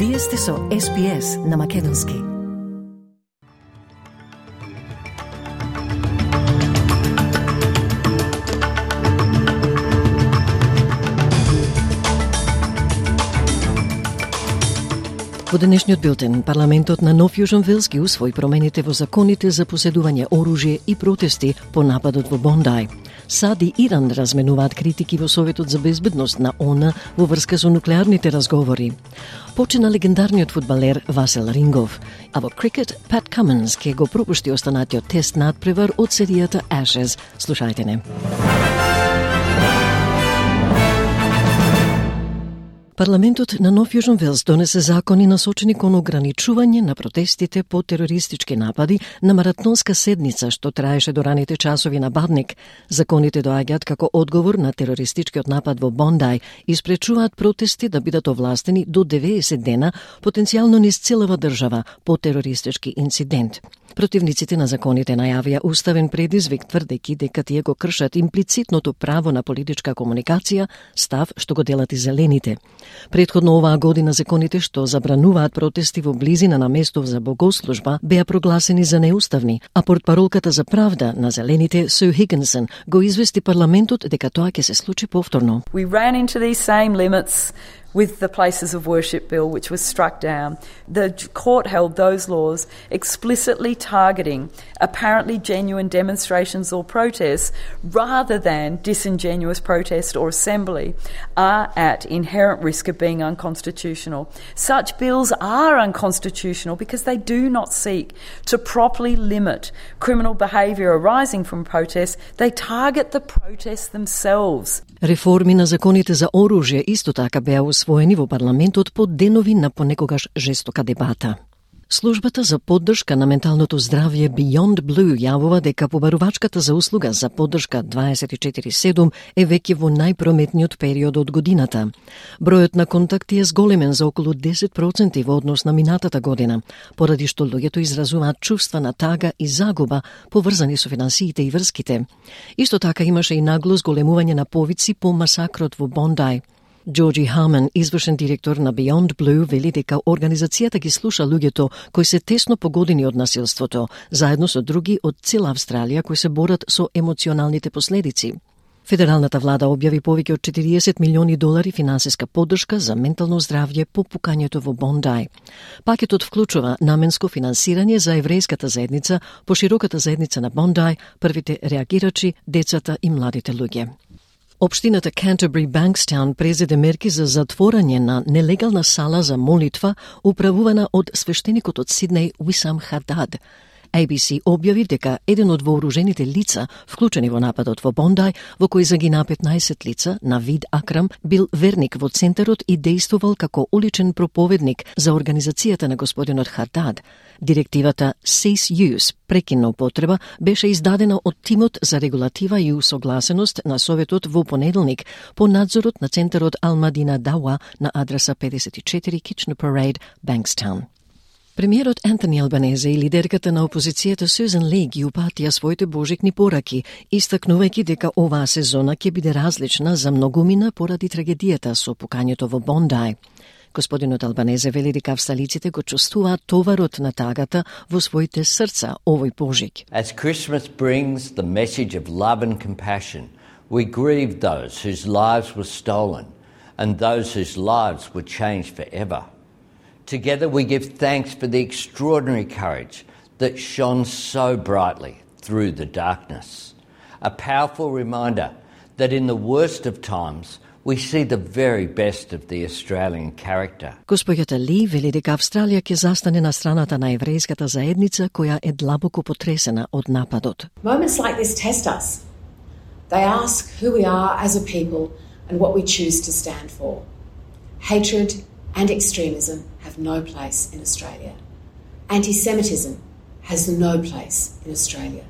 Вие сте со SPS на Македонски. Во денешниот билтен, парламентот на Нов Јужен Велс ги усвои промените во законите за поседување оружје и протести по нападот во Бондај. САД и Иран разменуваат критики во Советот за безбедност на ООН во врска со нуклеарните разговори. Почина легендарниот фудбалер Васел Рингов, а во крикет Пат Каминс ке го пропушти останатиот тест надпревар од серијата Ashes. Слушајте не. Парламентот на Нов Јужен Велс донесе закони насочени кон ограничување на протестите по терористички напади на маратонска седница што траеше до раните часови на Бадник. Законите доаѓаат како одговор на терористичкиот напад во Бондај и спречуваат протести да бидат овластени до 90 дена, потенцијално низ целава држава по терористички инцидент. Противниците на законите најавија уставен предизвик, тврдејќи дека тие го кршат имплицитното право на политичка комуникација, став што го делат и зелените. Претходно оваа година законите што забрануваат протести во близина на место за богослужба беа прогласени за неуставни, а портпаролката за правда на зелените Су Хигинсон го извести парламентот дека тоа ќе се случи повторно. We ran into these same limits with the Places of Worship Bill, which was struck down. The court held those laws explicitly targeting apparently genuine demonstrations or protests rather than disingenuous protest or assembly are at inherent risk of being unconstitutional. Such bills are unconstitutional because they do not seek to properly limit criminal behaviour arising from protests. They target the protests themselves. Реформи на законите за оружје исто така беа усвоени во парламентот по денови на понекогаш жестока дебата. Службата за поддршка на менталното здравје Beyond Blue јавува дека побарувачката за услуга за поддршка 24/7 е веќе во најпрометниот период од годината. Бројот на контакти е зголемен за околу 10% во однос на минатата година, поради што луѓето изразуваат чувства на тага и загуба поврзани со финансиите и врските. Исто така имаше и нагло зголемување на повици по масакрот во Бондај. Джорджи Харман, извршен директор на Beyond Blue, вели дека организацијата ги слуша луѓето кои се тесно погодени од насилството, заедно со други од цела Австралија кои се борат со емоционалните последици. Федералната влада објави повеќе од 40 милиони долари финансиска поддршка за ментално здравје по пукањето во Бондај. Пакетот вклучува наменско финансирање за еврејската заедница, пошироката заедница на Бондај, првите реагирачи, децата и младите луѓе. Општината Canterbury Bankstown презеде мерки за затворање на нелегална сала за молитва управувана од свештеникот од Сиднеј Уисам Хадад. ABC објави дека еден од вооружените лица, вклучени во нападот во Бондај, во кој загина 15 лица, Навид Акрам, бил верник во центарот и дејствувал како уличен проповедник за организацијата на господинот Хадад. Директивата Cease Use, прекинна употреба, беше издадена од тимот за регулатива и усогласеност на Советот во понеделник по надзорот на центарот Ал-Мадина Дауа на адреса 54 Kitchener Parade, Bankstown. Премиерот Антони Албанезе и лидерката на опозицијата Сюзан Ли ги упатија своите божикни пораки, истакнувајќи дека оваа сезона ќе биде различна за многумина поради трагедијата со пукањето во Бондај. Господинот Албанезе вели дека австралиците го чувствуваат товарот на тагата во своите срца овој пожик. As Christmas brings the message of love and compassion, we grieve those whose lives were stolen and those whose lives were changed forever. Together we give thanks for the extraordinary courage that shone so brightly through the darkness. A powerful reminder that in the worst of times we see the very best of the Australian character. Госпоѓата Ли вели дека Австралија ќе застане на страната на еврејската заедница која е длабоко потресена од нападот. Moments like this test us. They ask who we are as a people and what we choose to stand for. Hatred and extremism have no place in Australia. Anti-Semitism has no place in Australia.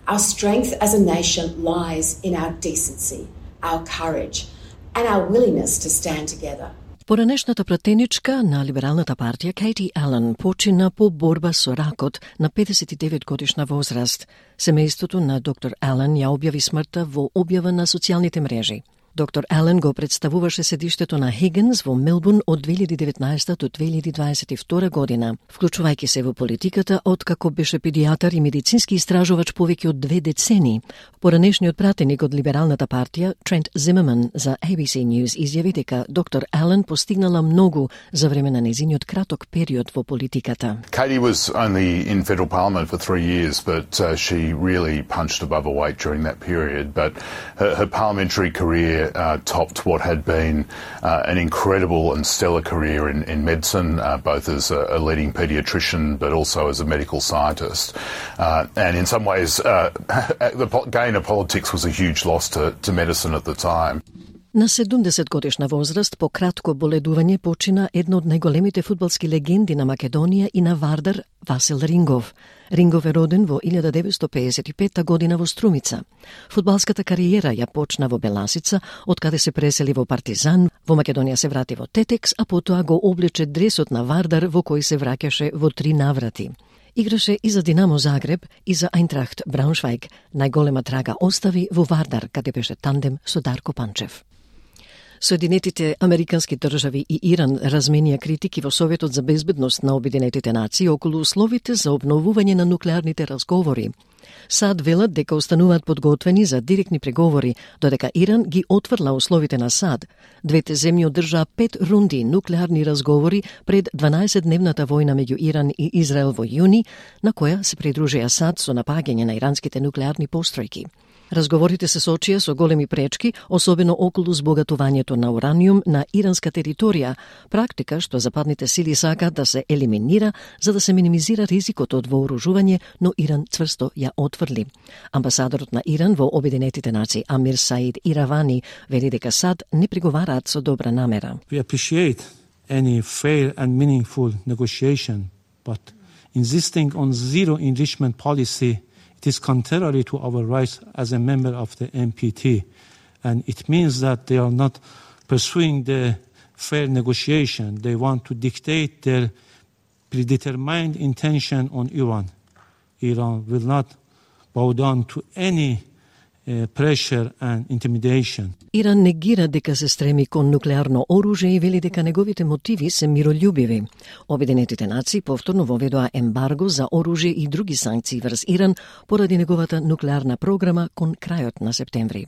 Our strength as a nation lies in our decency, our courage, and our willingness to stand together. Поранешната пратеничка на Либералната партија Кейти Ален почина по борба со ракот на 59 годишна возраст. Семејството на доктор Ален ја објави смртта во објава на социјалните мрежи. Доктор Ален го представуваше седиштето на Хигинс во Мелбурн од 2019 до 2022 година, вклучувајќи се во политиката откако беше педијатар и медицински истражувач повеќе од 2 децени. Поранешниот пратеник од Либералната партија, Трент Зимерман, за ABC News изјави дека доктор Ален постигнала многу за време на незиниот краток период во политиката. Katie was only in federal parliament for 3 years, but she really punched above her weight during that period. But her parliamentary career topped what had been an incredible and stellar career in medicine, both as a leading paediatrician but also as a medical scientist. And in some ways, the gain of politics was a huge loss to medicine at the time. На 70 годишна возраст по кратко боледување почина една од најголемите фудбалски легенди на Македонија и на Вардар, Васил Рингов. Рингов е роден во 1955 година во Струмица. Фудбалската кариера ја почна во Беласица, откаде се пресели во Партизан, во Македонија се врати во Тетекс, а потоа го облече дресот на Вардар во кој се враќаше во 3 наврати. Играше и за Динамо Загреб и за Ајнтрахт Брауншвајг. Најголема трага остави во Вардар, каде беше тандем со Дарко Панчев. Соединетите Американски држави и Иран разменија критики во Советот за безбедност на Обединетите нации околу условите за обновување на нуклеарните разговори. САД велат дека остануваат подготвени за директни преговори, додека Иран ги отврла условите на САД. Двете земји одржаа 5 рунди нуклеарни разговори пред 12-дневната војна меѓу Иран и Израел во јуни, на која се придружија САД со напаѓање на иранските нуклеарни постројки. Разговорите се сочија со големи пречки, особено околу збогатувањето на ураниум на иранска територија, практика што западните сили сакаат да се елиминира за да се минимизира ризикот од вооружување, но Иран цврсто ја отврли. Амбасадорот на Иран во Обединетите нации Амир Саид Иравани вели дека САД не преговараат со добра намера. We appreciate any fair and meaningful negotiation, but insisting on zero enrichment policy it is contrary to our rights as a member of the NPT, and it means that they are not pursuing the fair negotiation. They want to dictate their predetermined intention on Iran. Iran will not bow down to any pressure and intimidation. Иран негира дека се стреми кон нуклеарно оружје и вели дека неговите мотиви се миролюбиви. Обединетите нации повторно воведоа ембарго за оружје и други санкции врз Иран поради неговата нуклеарна програма кон крајот на септември.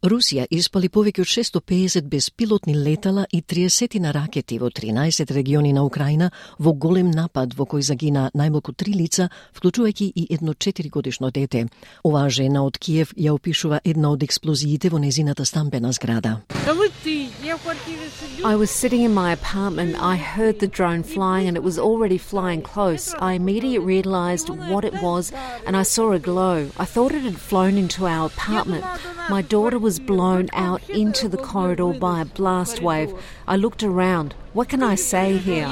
Русија испали повеќе од 650 безпилотни летала и 30 на ракети во 13 региони на Украина во голем напад во кој загина најмалку 3 лица, вклучувајќи и едно 4-годишно дете. Оваа жена од Киев ја опишува една од експлозиите во незината стамбена зграда. I was sitting in my apartment. I heard the drone flying and it was already flying close. I immediately realised what it was and I saw a glow. I thought it had flown into our apartment. My daughter was blown out into the corridor by a blast wave. I looked around. What can I say here?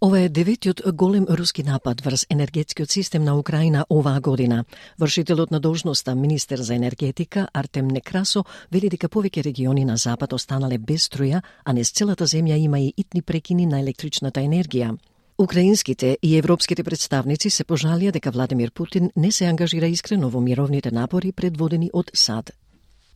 Ова е деветиот голем руски напад врз енергетскиот систем на Украина оваа година. Вршителот на должноста министер за енергетика Артем Некрасо вели дека повеќе региони на запад останале без струја, а низ целата земја има и итни прекини на електричната енергија. Украинските и европските представници се пожалија дека Владимир Путин не се ангажира искрено во мировните напори предводени од САД.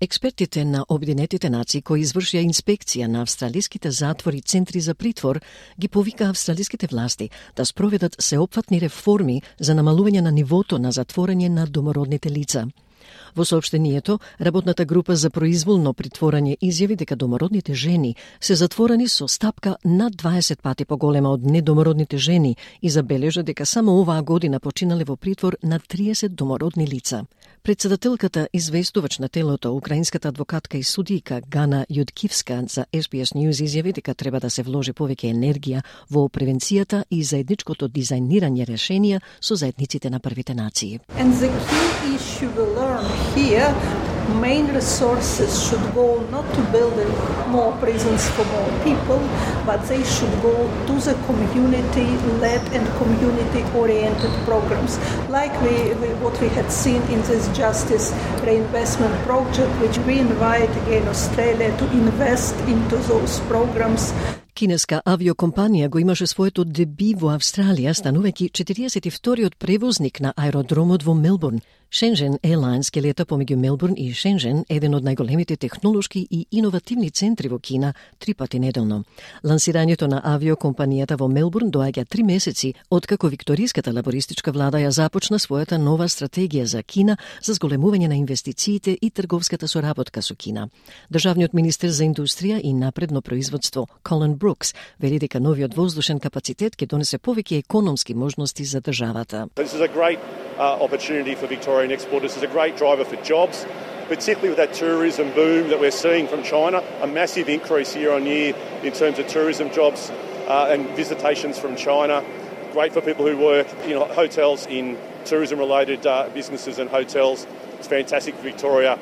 Експертите на Обединетите нации кои извршија инспекција на австралиските затвори и центри за притвор ги повика австралиските власти да спроведат сеопфатни реформи за намалување на нивото на затворање на домородните лица. Во соопштението, работната група за произволно притворање изјави дека домородните жени се затворени со стапка над 20 пати поголема од недомородните жени и забележа дека само оваа година починале во притвор на 30 домородни лица. Председателката известувач на телото, украинската адвокатка и судијка Гана Јудкивска за SBS News изјави дека треба да се вложи повеќе енергија во превенцијата и заедничкото дизајнирање решенија со заедниците на првите нации. And the key issue we learn here, main resources should go not to building more prisons for more people, but they should go to the community-led and community-oriented programs, like what we had seen in this Justice Reinvestment Project, which we invite again Australia to invest into those programs. Кинеска авиокомпанија го имаше своето деби во Австралија, станувајќи 42-иот превозник на аеродромот во Мелбурн. Shenzhen Airlines ке лета помеѓу Мелбурн и Шенжен, еден од најголемите технолошки и иновативни центри во Кина, 3 пати неделно. Лансирањето на авиокомпанијата во Мелбурн доаѓа 3 месеци откако викториската лабористичка влада ја започна својата нова стратегија за Кина за зголемување на инвестициите и трговската соработка со Кина. Државниот министер за индустрија и напредно производство Колин Брукс вели дека новиот воздушен капацитет ќе донесе повеќе економски можности за државата. This is a great opportunity for Victorian exporters. This is a great driver for jobs, particularly with that tourism boom that we're seeing from China, a massive increase year on year in terms of tourism jobs and visitations from China. Great for people who work in hotels, in tourism-related businesses and hotels. It's fantastic for Victoria.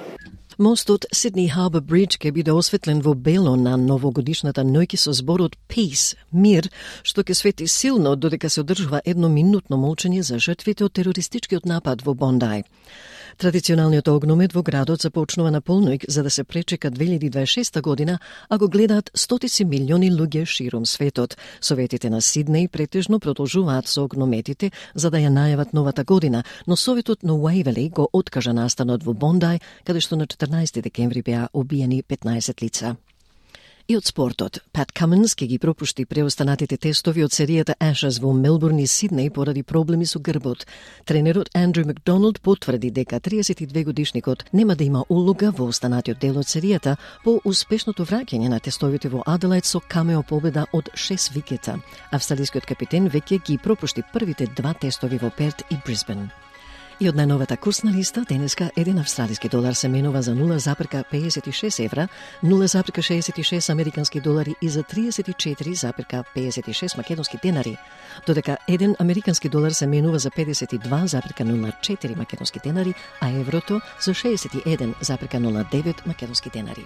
Мостот Сидни Харбор Бридж ќе биде осветлен во бело на новогодишната ноќ со зборот Peace, мир, што ќе свети силно додека се одржува едноминутно молчење за жртвите од терористичкиот напад во Бондај. Традиционалниот огномет во градот започнува на полноќ за да се пречека 2026 година, а го гледаат стотици милиони луѓе широм светот. Советите на Сиднеј претежно продолжуваат со огнометите за да ја најават новата година, но Советот на Уајвели го откажа настанот во Бондај, каде што на 14 декември беа убиени 15 лица. И од спортот, Пат Каминс ќе ги пропушти преостанатите тестови од серијата Ashes во Мелбурн и Сиднеј поради проблеми со грбот. Тренерот Андрю Макдоналд потврди дека 32-годишникот нема да има улога во останатиот дел од серијата по успешното враќање на тестовите во Аделаид со камео победа од 6 викета. Австралискиот капитен веќе ги пропушти првите 2 тестови во Перт и Брисбен. И од најновата курсна листа, денеска 1 австралиски долар се менува за 0,56 евра, 0,66 американски долари и за 34,56 македонски денари, додека 1 американски долар се менува за 52,04 македонски денари, а еврото за 61,09 македонски денари.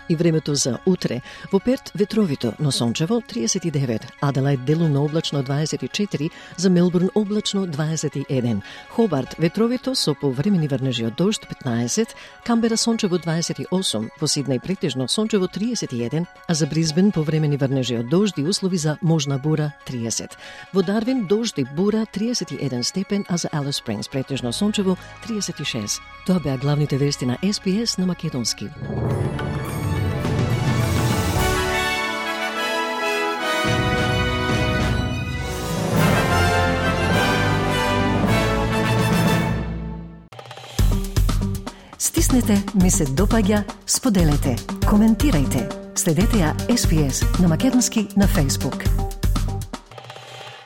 И времето за утре. Во Перт ветровито, но сончево 39, Аделаид делумно облачно 24, за Мелбурн облачно 21, Хобарт ветровито со повремени врнежи од дожд 15, Камбера сончево 28, во Сиднеј претежно сончево 31, а за Брисбен повремени врнежи од дожд и услови за можна бура 30. Во Дарвин дожд и бура 31 степен, а за Алис Спрингс претежно сончево 36. Тоа беа главните вести на SPS на македонски. Стиснете, ми се допаѓа, споделете, коментирајте. Следете ја SPS на македонски на Facebook.